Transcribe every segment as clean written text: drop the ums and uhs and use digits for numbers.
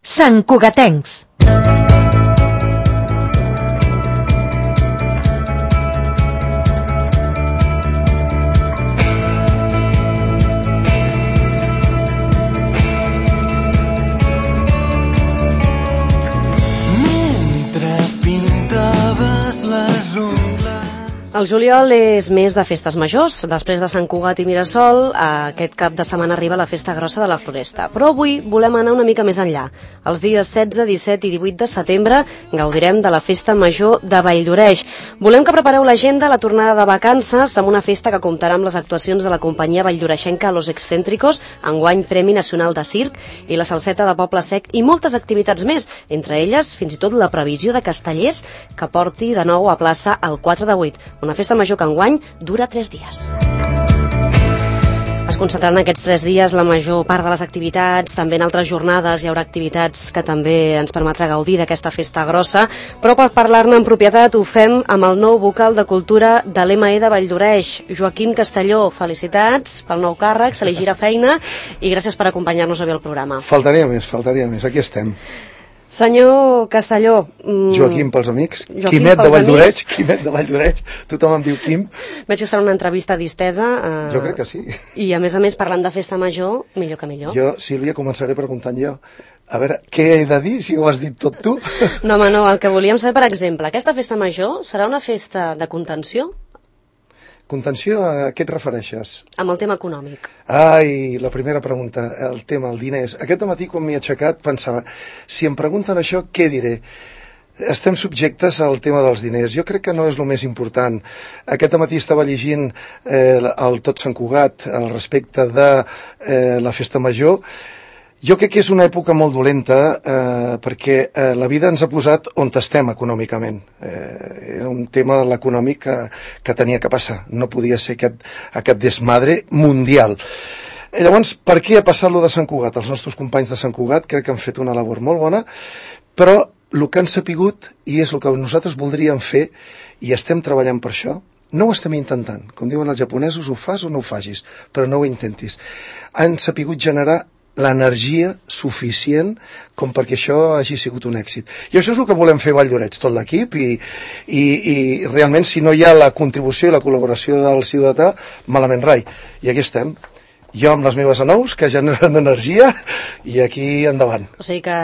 Santcugatencs. El juliol és mes de festes majors. Després de Sant Cugat i Mirasol, aquest cap de setmana arriba la festa grossa de la Floresta. Però avui volem anar una mica més enllà. Els dies 16, 17 i 18 de setembre gaudirem de la festa major de Valldoreix. Volem que prepareu l'agenda a la tornada de vacances amb una festa que comptarà amb les actuacions de la companyia valldoreixenca Los Excéntricos, enguany Premi Nacional de Circ, i la Salseta de Poble Sec i moltes activitats més, entre elles fins i tot la previsió de Castellers que porti de nou a plaça el 4 de 8. Una festa major que enguany dura 3 dies. Es concentraran aquests 3 dies la major part de les activitats, també en altres jornades hi haurà activitats que també ens permetrà gaudir d'aquesta festa grossa, però per parlar-ne en propietat ho fem amb el nou vocal de cultura de l'ME de Valldoreix, Joaquim Castelló. Felicitats pel nou càrrec, se li gira feina i gràcies per acompanyar-nos avui al programa. Faltaria més, aquí estem. Senyor Castelló... Joaquim pels amics, Quimet de Valldoreix, tothom em diu Quim. Veig que serà una entrevista distesa. Jo crec que sí. I a més, parlant de festa major, millor que millor. Jo, Sílvia, començaré preguntant jo. A veure, què he de dir si ho has dit tot tu? No, home, no, el que volíem saber, per exemple, aquesta festa major serà una festa de contenció? Contenció, a què et refereixes? Amb el tema econòmic. Ai, la primera pregunta, el tema, el diners. Aquest matí, quan m'he aixecat, pensava, si em pregunten això, què diré? Estem subjectes al tema dels diners. Jo crec que no és el més important. Aquest matí estava llegint el Tot Sant Cugat al respecte de la festa major. Jo crec que és una època molt dolenta perquè la vida ens ha posat on estem econòmicament. Era un tema l'econòmic que tenia que passar. No podia ser aquest desmadre mundial. Llavors, per què ha passat lo de Sant Cugat? Els nostres companys de Sant Cugat crec que han fet una labor molt bona, però el que han sapigut, i és el que nosaltres voldríem fer, i estem treballant per això, no ho estem intentant. Com diuen els japonesos, ho fas o no ho facis, però no ho intentis. Han sapigut generar l'energia suficient com perquè això hagi sigut un èxit. I això és el que volem fer a Valldoreix, tot l'equip, i realment si no hi ha la contribució i la col·laboració del ciutadà, malament rai. I aquí estem. Jo amb les meves anous, que generen energia, i aquí endavant. O sigui que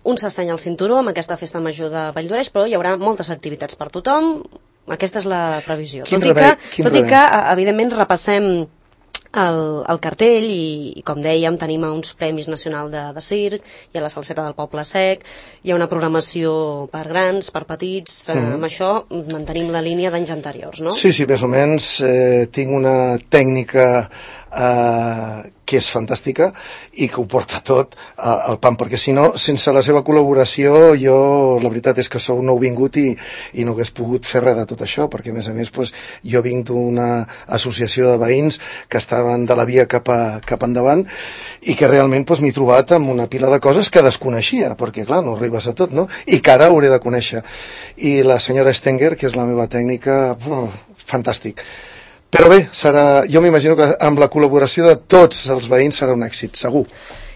un s'estany al cinturó amb aquesta festa major de Valldoreix, però hi haurà moltes activitats per tothom. Aquesta és la previsió. Tot i que, evidentment, repassem el cartell i com dèiem tenim uns Premis Nacional de Circ, hi ha la Salseta del Poble Sec, hi ha una programació per grans, per petits, amb això mantenim la línia d'anys anteriors, no? Sí, més o menys tinc una tècnica que és fantàstica i que ho porta tot al pam, perquè si no, sense la seva col·laboració jo, la veritat és que sou nou vingut i no hagués pogut fer res de tot això, perquè a més jo vinc d'una associació de veïns que estaven de la via cap endavant i que realment m'he trobat amb una pila de coses que desconeixia, perquè clar, no arribes a tot, no? I que ara hauré de conèixer. I la senyora Stenger, que és la meva tècnica, fantàstic. Però bé, jo m'imagino que amb la col·laboració de tots els veïns serà un èxit, segur.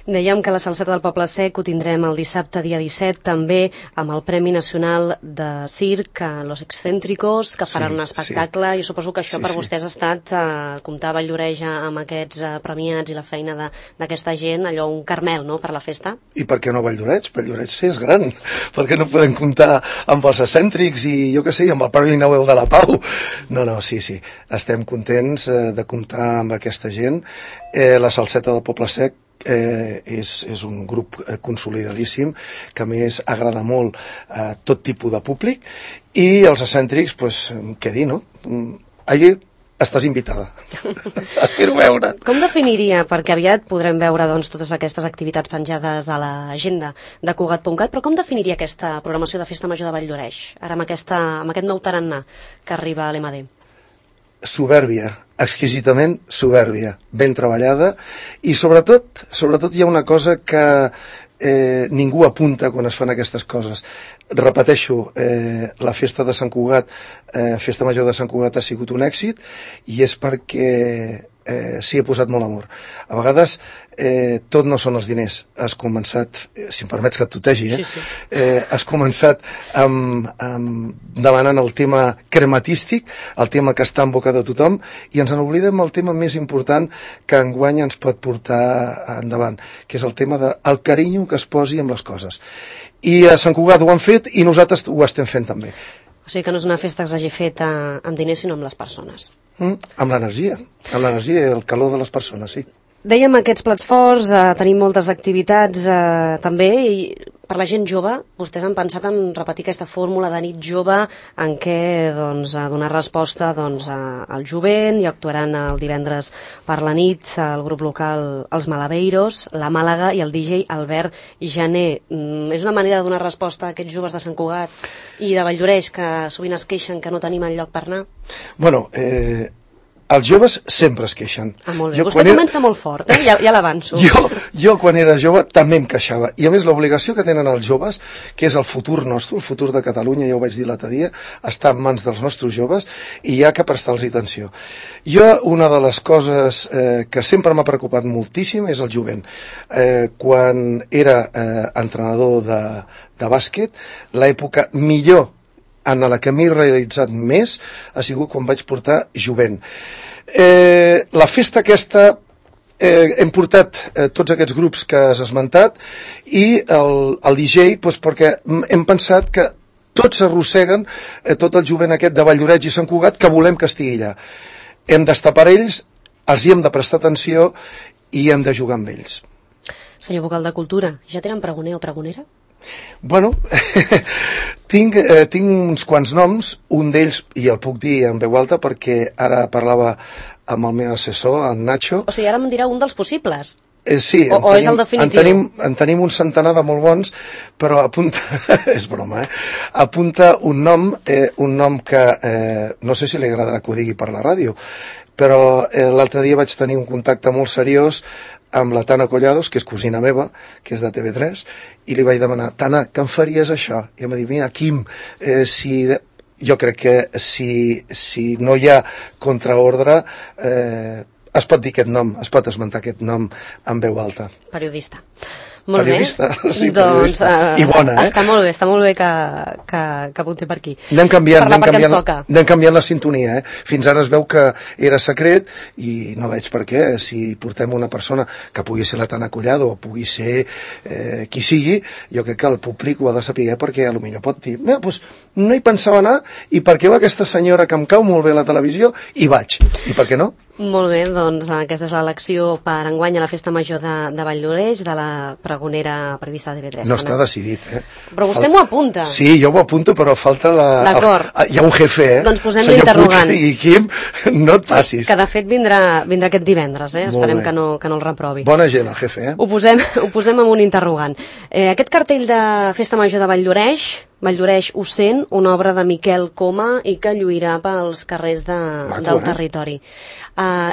Dèiem que la Salseta del Poble Sec ho tindrem el dissabte, dia 17, també amb el Premi Nacional de Circ, Los Excéntricos, que faran un espectacle. Jo suposo que això per vostès ha estat comptar a Valldoreix amb aquests premiats i la feina d'aquesta gent, allò un caramel, no?, per la festa. I per què no Valldoreix? Valldoreix és gran. Per què no podem comptar amb els excèntrics i jo què sé, amb el Premi Nobel de la Pau? No, sí. Estem contents de comptar amb aquesta gent. La Salseta del Poble Sec és un grup consolidadíssim que a més agrada molt a tot tipus de públic i els excèntrics, què dir, no? Allí estàs invitada. Espero veure. Com definiria, perquè aviat podrem veure totes aquestes activitats penjades a l'agenda de Cugat.cat, però com definiria aquesta programació de Festa Major de Valldoreix, ara amb aquest nou tarannà que arriba a l'MD? Soberbia, exquisitament soberbia, ben treballada i sobretot hi ha una cosa que ningú apunta quan es fan aquestes coses. Repeteixo, la festa de Sant Cugat, festa major de Sant Cugat ha sigut un èxit i és perquè s'hi ha posat molt amor. A vegades tot no són els diners. Has començat, si em permets que et tutegi, Sí. Has començat demanant el tema crematístic, el tema que està en boca de tothom, i ens n'oblidem el tema més important que enguany ens pot portar endavant, que és el tema del carinyo que es posi amb les coses. I a Sant Cugat ho han fet i nosaltres ho estem fent també. O sigui que no és una festa que s'hagi fet amb diners, sinó amb les persones. Amb l'energia i el calor de les persones, sí. Dèiem aquests plats forts, tenim moltes activitats també, i per la gent jove, vostès han pensat en repetir aquesta fórmula de nit jove en què donar resposta al jovent, i actuaran el divendres per la nit el grup local Els Malabeiros, la Màlaga i el DJ Albert Jané. És una manera de donar resposta a aquests joves de Sant Cugat i de Valldoreix que sovint es queixen que no tenim enlloc per anar? Bueno, els joves sempre es queixen. Molt bé. Vostè comença molt fort, ja l'avanço. Jo quan era jove també em queixava. I a més l'obligació que tenen els joves, que és el futur nostre, el futur de Catalunya, ja ho vaig dir l'altre dia, està en mans dels nostres joves i hi ha que prestar-los atenció. Jo, una de les coses que sempre m'ha preocupat moltíssim és el jovent. Quan era entrenador de bàsquet, l'època millor en la que m'he realitzat més ha sigut quan vaig portar jovent. La festa aquesta hem portat tots aquests grups que has esmentat i el DJ perquè hem pensat que tots s'arrosseguen tot el jovent aquest de Valldoreix i Sant Cugat que volem que estigui allà. Hem d'estar per ells, els hi hem de prestar atenció i hem de jugar amb ells. Senyor vocal de Cultura, ja tenen pregoner o pregonera? Bueno, tinc uns quants noms, un d'ells, i el puc dir en veu alta perquè ara parlava amb el meu assessor, en Nacho. O sigui, ara em dirà un dels possibles. Sí, o és el definitiu? En tenim un centenar de molt bons, però apunta, és broma, apunta un nom que no sé si li agradarà que ho digui per la ràdio, però l'altre dia vaig tenir un contacte molt seriós amb la Tana Collados, que és cosina meva, que és de TV3, i li vaig demanar, Tana, que em faries això? I em va dir, mira, Quim, jo crec que si no hi ha contraordre, es pot dir aquest nom, es pot esmentar aquest nom en veu alta. Periodista. Molt periodista, bé. Sí, periodista. I bona, Està molt bé que apunti per aquí. Anem canviant la sintonia, Fins ara es veu que era secret i no veig per què. Si portem una persona que pugui ser la Tana Collado o pugui ser qui sigui, jo crec que el públic ho ha de saber perquè potser pot dir, doncs no hi pensava anar i perquè va aquesta senyora que em cau molt bé a la televisió i vaig. I per què no? Molt bé, doncs aquesta és l'elecció per enguany a la Festa Major de Valldoreix, de la pregonera prevista de TV3. No està decidit, Però vostè m'ho apunta. Sí, jo m'ho apunto, però falta D'acord. Hi ha un jefe, Doncs posem l'interrogant. I Quim, no et passis. Que de fet vindrà aquest divendres, Esperem que no el reprovi. Bona gent, el jefe, Ho posem amb un interrogant. Aquest cartell de Festa Major de Valldoreix ho sent, una obra de Miquel Coma i que lluirà pels carrers del territori.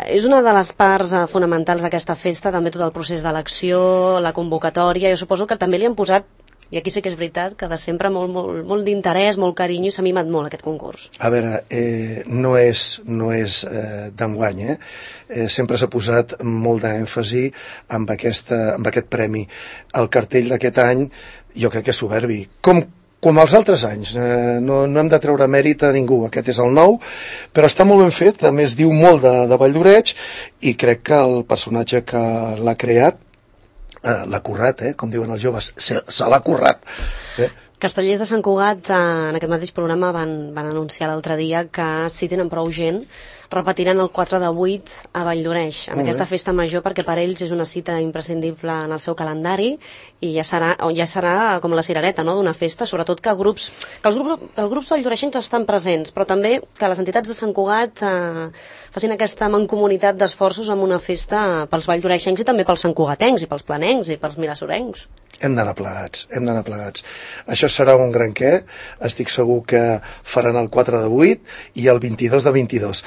És una de les parts fonamentals d'aquesta festa, també tot el procés d'elecció, la convocatòria. Jo suposo que també li han posat, i aquí sí que és veritat, que de sempre molt d'interès, molt carinyo, i s'ha mimat molt aquest concurs. A veure, no és d'enguany, sempre s'ha posat molt d'èmfasi amb aquest premi. El cartell d'aquest any jo crec que és soberbi. Com els altres anys, no hem de treure mèrit a ningú, aquest és el nou, però està molt ben fet, a més diu molt de Valldoreix i crec que el personatge que l'ha creat l'ha currat, com diuen els joves, se l'ha currat. Castellers de Sant Cugat en aquest mateix programa van anunciar l'altre dia que si tenen prou gent repetiran el 4 de 8 a Valldoreix, amb aquesta festa major, perquè per ells és una cita imprescindible en el seu calendari i ja serà com la cirereta d'una festa, sobretot que els grups valldoreixencs estan presents, però també que les entitats de Sant Cugat facin aquesta mancomunitat d'esforços amb una festa pels valldoreixencs i també pels santcugatencs i pels planencs i pels milasorencs. Hem d'anar plegats. Això serà un gran què. Estic segur que faran el 4 de 8 i el 22 de 22.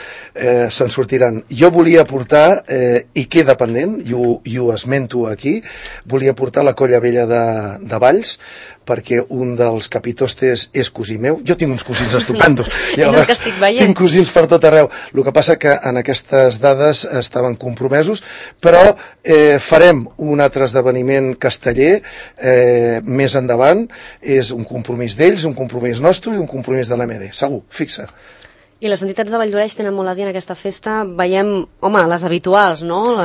Se'n sortiran. Jo volia portar, i queda pendent, i ho esmento aquí, volia portar la Colla Vella de Valls, perquè un dels capitostes és cosí meu. Jo tinc uns cosins estupendos. És el que estic veient. Tinc cosins per tot arreu. El que passa que en aquestes dades estaven compromesos, però farem un altre esdeveniment casteller més endavant. És un compromís d'ells, un compromís nostre i un compromís de l'MD, segur, fixa. I les entitats de Valldoreix tenen molt a dir en aquesta festa. Veiem, home, les habituals, no?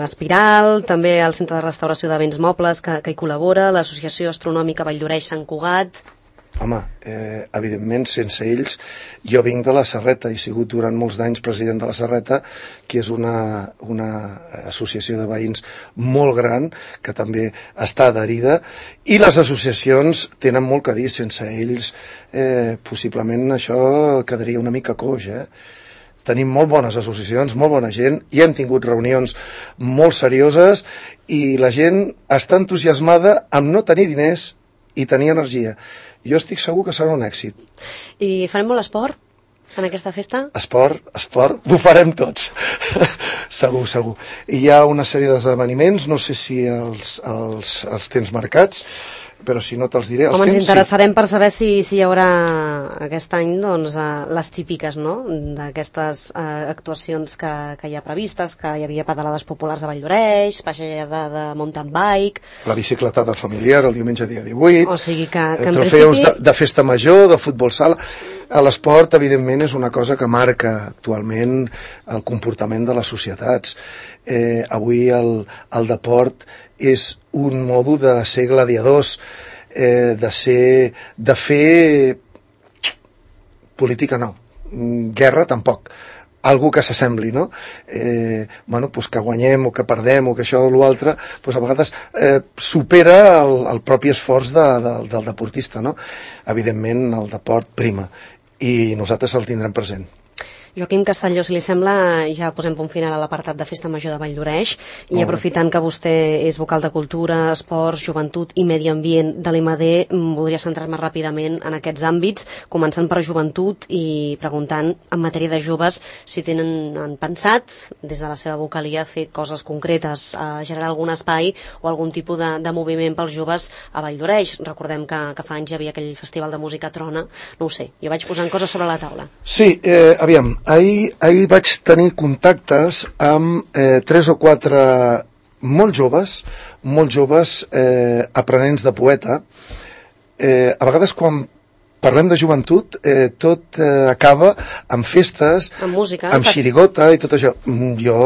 Espiral, també el Centre de Restauració de Béns Mobles que hi col·labora, l'Associació Astronòmica Valldoreix Sant Cugat. Home, evidentment, sense ells, jo vinc de la Serreta, he sigut durant molts d'anys president de la Serreta, que és una associació de veïns molt gran, que també està adherida, i les associacions tenen molt que dir. Sense ells, possiblement això quedaria una mica coix, Tenim molt bones associacions, molt bona gent, i hem tingut reunions molt serioses, i la gent està entusiasmada amb no tenir diners i tenir energia. Jo estic segur que serà un èxit. I farem molt esport en aquesta festa? Esport, ho farem tots. Segur. I hi ha una sèrie d'esdeveniments, no sé si els tens marcats, però si no te'ls diré. Home, ens interessarem per saber si hi haurà aquest any les típiques, no?, d'aquestes actuacions que hi ha previstes, que hi havia pedalades populars a Valldoreix, passejada de mountain bike... La bicicletada familiar el diumenge dia 18... O sigui que en trofeus de festa major, de futbol sala... L'esport, evidentment, és una cosa que marca actualment el comportament de les societats. Avui el deport és un modo de ser gladiadors, de fer política no, guerra tampoc, algo que s'assembli, no? Pues que guanyem o que perdem o que això o l'altre, pues a vegades supera el propi esforç del deportista, no? Evidentment el deport prima i nosaltres el tindrem present. Joaquim Castelló, si li sembla, ja posem punt final a l'apartat de Festa Major de Valldoreix i aprofitant que vostè és vocal de Cultura, Esports, Joventut i Medi Ambient de l'IMAD, voldria centrar-me ràpidament en aquests àmbits, començant per Joventut i preguntant en matèria de joves si han pensat, des de la seva vocalia, fer coses concretes, generar algun espai o algun tipus de moviment pels joves a Valldoreix. Recordem que fa anys hi havia aquell festival de música Trona, no ho sé, jo vaig posant coses sobre la taula. Sí, aviam, ahir vaig tenir contactes amb 3 o 4 molt joves aprenents de poeta. A vegades quan parlem de joventut tot acaba amb festes, amb música, amb xirigota i tot això. Jo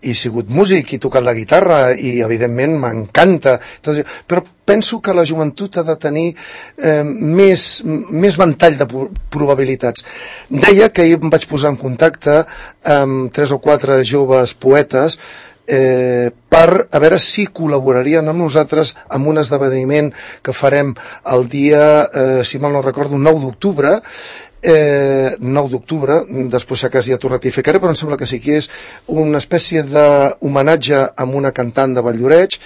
he sigut músic, he tocat la guitarra i evidentment m'encanta, però penso que la joventut ha de tenir més ventall de probabilitats. Deia que ahir em vaig posar en contacte amb 3 o 4 joves poetes per a veure si col·laborarien amb nosaltres en un esdeveniment que farem el dia, si mal no recordo, 9 d'octubre, 9 d'octubre, després si cas ja t'ho ratificaré, però em sembla que sí que és una espècie d'homenatge a una cantant de Valldoreix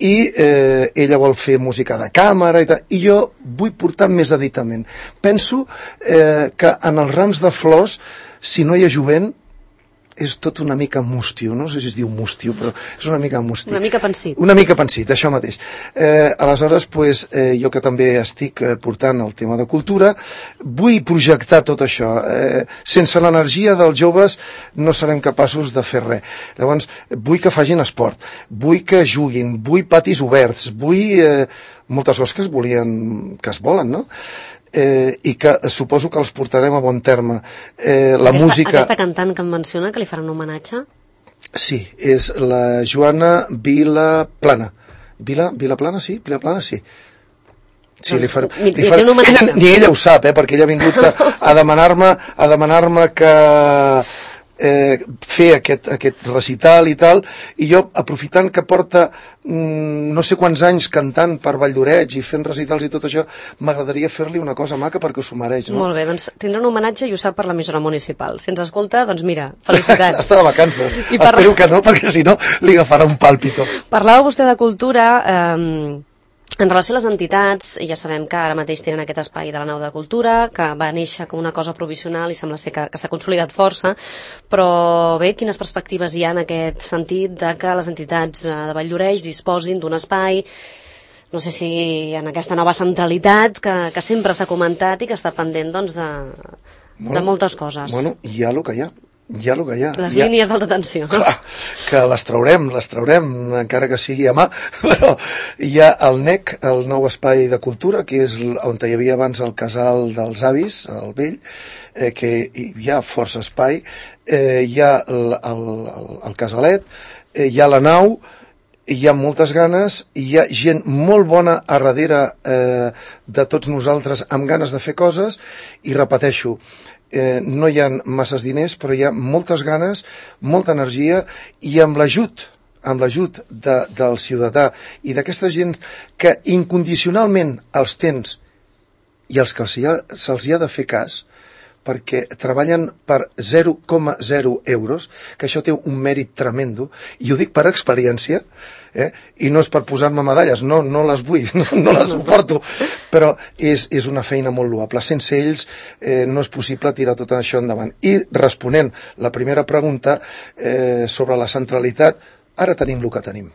i ella vol fer música de càmera i jo vull portar més aditament. Penso que en els rams de flors, si no hi ha jovent, és tot una mica mustio, no sé si es diu mustio, però és una mica mustio. Una mica pensit. Una mica pensit, això mateix. Aleshores, jo que també estic portant el tema de cultura, vull projectar tot això. Sense l'energia dels joves no serem capaços de fer res. Llavors, vull que facin esport, vull que juguin, vull patis oberts, vull moltes coses que es volen, no? I que suposo que els portarem a bon terme. Aquesta cantant que em menciona, que li farà un homenatge? Sí, és la Joana Vilaplana. Vilaplana, sí? Vilaplana, sí. Sí, ni ella ho sap, perquè ella ha vingut a demanar-me que fer aquest recital i tal, i jo, aprofitant que porta no sé quants anys cantant per Valldoreix i fent recitals i tot això, m'agradaria fer-li una cosa maca perquè s'ho mereix, no? Molt bé, doncs tindrà un homenatge i ho sap per l'emissora municipal. Si ens escolta, doncs mira, felicitats. Està de vacances. Espero que no, perquè si no li agafarà un pàlpito. Parlava vostè de cultura. En relació a les entitats, ja sabem que ara mateix tenen aquest espai de la Nau de Cultura, que va néixer com una cosa provisional i sembla ser que s'ha consolidat força, però bé, quines perspectives hi ha en aquest sentit de que les entitats de Valldoreix disposin d'un espai, no sé si en aquesta nova centralitat que sempre s'ha comentat i que està pendent doncs, de moltes coses. Bueno, hi ha el que hi ha. Hi ha el que hi ha. Les línies d'alta tensió. Clar, que les traurem, encara que sigui a mà, però hi ha el NEC, el nou espai de cultura, que és on hi havia abans el casal dels avis, el vell, que hi ha força espai, hi ha el casalet, hi ha la nau, hi ha moltes ganes, hi ha gent molt bona a darrere de tots nosaltres amb ganes de fer coses, i repeteixo, no hi ha masses diners, però hi ha moltes ganes, molta energia, i amb l'ajut del ciutadà i d'aquesta gent que incondicionalment els tens i els que se'ls hi ha de fer cas, perquè treballen per 0,0 euros, que això té un mèrit tremendo, i ho dic per experiència, i no és per posar-me medalles, no les vull, no les suporto, però és una feina molt loable. Sense ells no és possible tirar tot això endavant. I responent la primera pregunta sobre la centralitat, ara tenim el que tenim,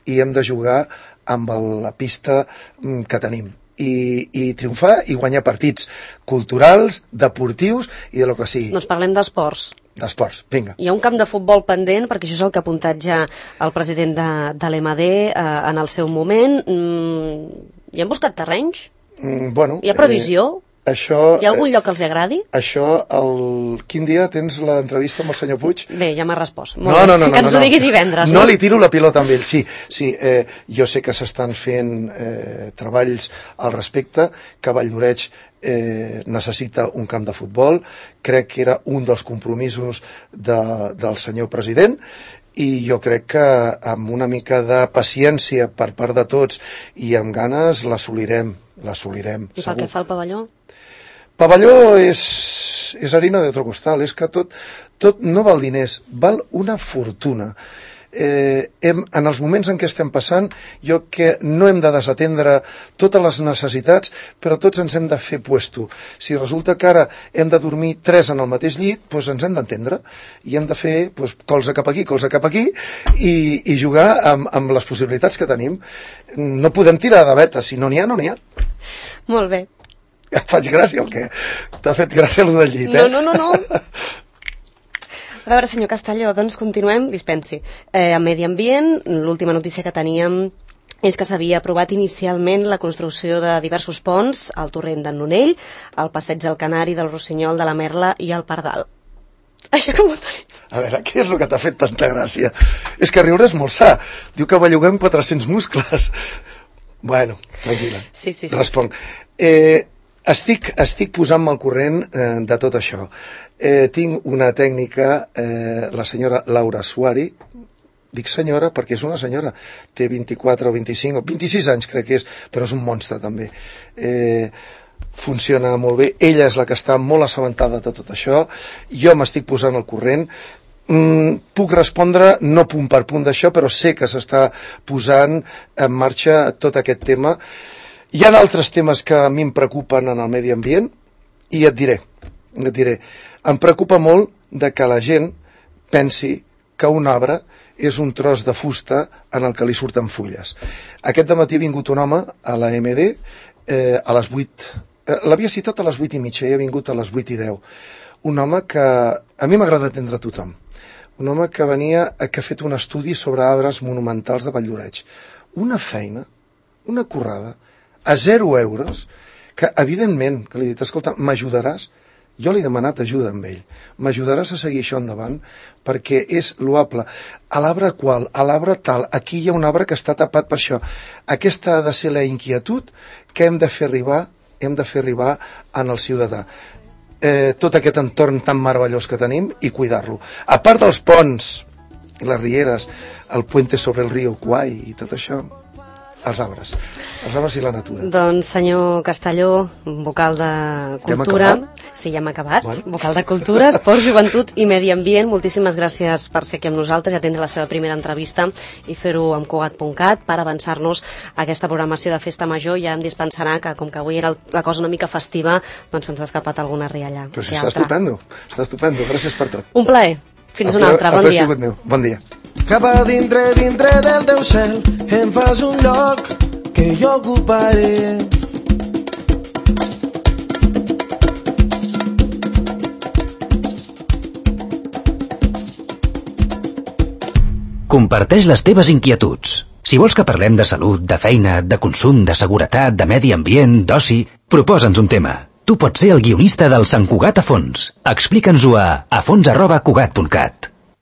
i hem de jugar amb la pista que tenim. I triomfar i guanyar partits culturals, deportius i de lo que sigui. Doncs parlem d'esports. D'esports, vinga. Hi ha un camp de futbol pendent, perquè això és el que ha apuntat ja el president de l'EMAD en el seu moment. Hi han buscat terrenys? Bueno, hi ha previsió? Això, hi ha algun lloc que els agradi? Això, quin dia tens l'entrevista amb el senyor Puig? Bé, ja m'ha respost. No, que ens ho digui divendres. No li tiro la pilota amb ell, sí. Jo sé que s'estan fent treballs al respecte, que Valldoreig necessita un camp de futbol, crec que era un dels compromisos del senyor president, i jo crec que amb una mica de paciència per part de tots i amb ganes l'assolirem. I pel que fa al pavelló? Pavelló és harina de otro costal, és que tot no val diners, val una fortuna. En els moments en què estem passant, jo que no hem de desatendre totes les necessitats, però tots ens hem de fer puesto. Si resulta que ara hem de dormir 3 en el mateix llit, doncs ens hem d'entendre i hem de fer colze cap aquí i jugar amb les possibilitats que tenim. No podem tirar de veta, si no n'hi ha, no n'hi ha. Molt bé. Et faig gràcia o què? T'ha fet gràcia allò del llit, No. A veure, senyor Castelló, doncs continuem, dispensi. En Medi Ambient, l'última notícia que teníem és que s'havia aprovat inicialment la construcció de diversos ponts al torrent d'en Nonell, al passeig del Canari, del Rossinyol, de la Merla i al Pardal. Això com ho tenim? A veure, què és el que t'ha fet tanta gràcia? És que riure és molt sa. Diu que belluguem 400 muscles. Bueno, tranquil·la. Sí. Responc. Estic posant-me al corrent de tot això. Tinc una tècnica, la senyora Laura Suari, dic senyora perquè és una senyora, té 24 o 25 o 26 anys crec que és, però és un monstre també. Funciona molt bé, ella és la que està molt assabentada de tot això, jo m'estic posant al corrent. Puc respondre no punt per punt d'això, però sé que s'està posant en marxa tot aquest tema. Hi ha altres temes que a mi em preocupen en el medi ambient i et diré. Em preocupa molt que la gent pensi que un arbre és un tros de fusta en el que li surten fulles. Aquest dematí ha vingut un home a la MD a les 8, l'havia citat a les 8:30 i ha vingut a les 8:10. Un home que a mi m'agrada atendre a tothom. Un home que ha fet un estudi sobre arbres monumentals de Valldoreig. Una feina, una currada, a 0 euros, que evidentment, que li he dit, escolta, m'ajudaràs? Jo li he demanat ajuda amb ell. M'ajudaràs a seguir això endavant? Perquè és loable. A l'arbre qual? A l'arbre tal. Aquí hi ha un arbre que està tapat per això. Aquesta ha de ser la inquietud que hem de fer arribar en el ciutadà. Tot aquest entorn tan meravellós que tenim i cuidar-lo. A part dels ponts i les rieres, el puente sobre el riu Kwai i tot això, els arbres i la natura. Doncs senyor Castelló, vocal de Cultura... Sí, ja hem acabat. Bueno. Vocal de Cultura, Esport, Joventut i Medi Ambient, moltíssimes gràcies per ser aquí amb nosaltres i atendre la seva primera entrevista i fer-ho amb Cugat.cat per avançar-nos a aquesta programació de Festa Major. Ja em dispensarà que, com que avui era la cosa una mica festiva, doncs se'ns ha escapat alguna rialla. Però si està estupendo, gràcies per tot. Un plaer. Fins una altra, bon dia. Bon dia. Cap a dintre del teu cel em fas un lloc que jo ocuparé. Comparteix les teves inquietuds. Si vols que parlem de salut, de feina, de consum, de seguretat, de medi ambient, d'oci, proposa'ns un tema. Tu pots ser el guionista del Sant Cugat a fons. Explica'ns-ho a fons@cugat.cat.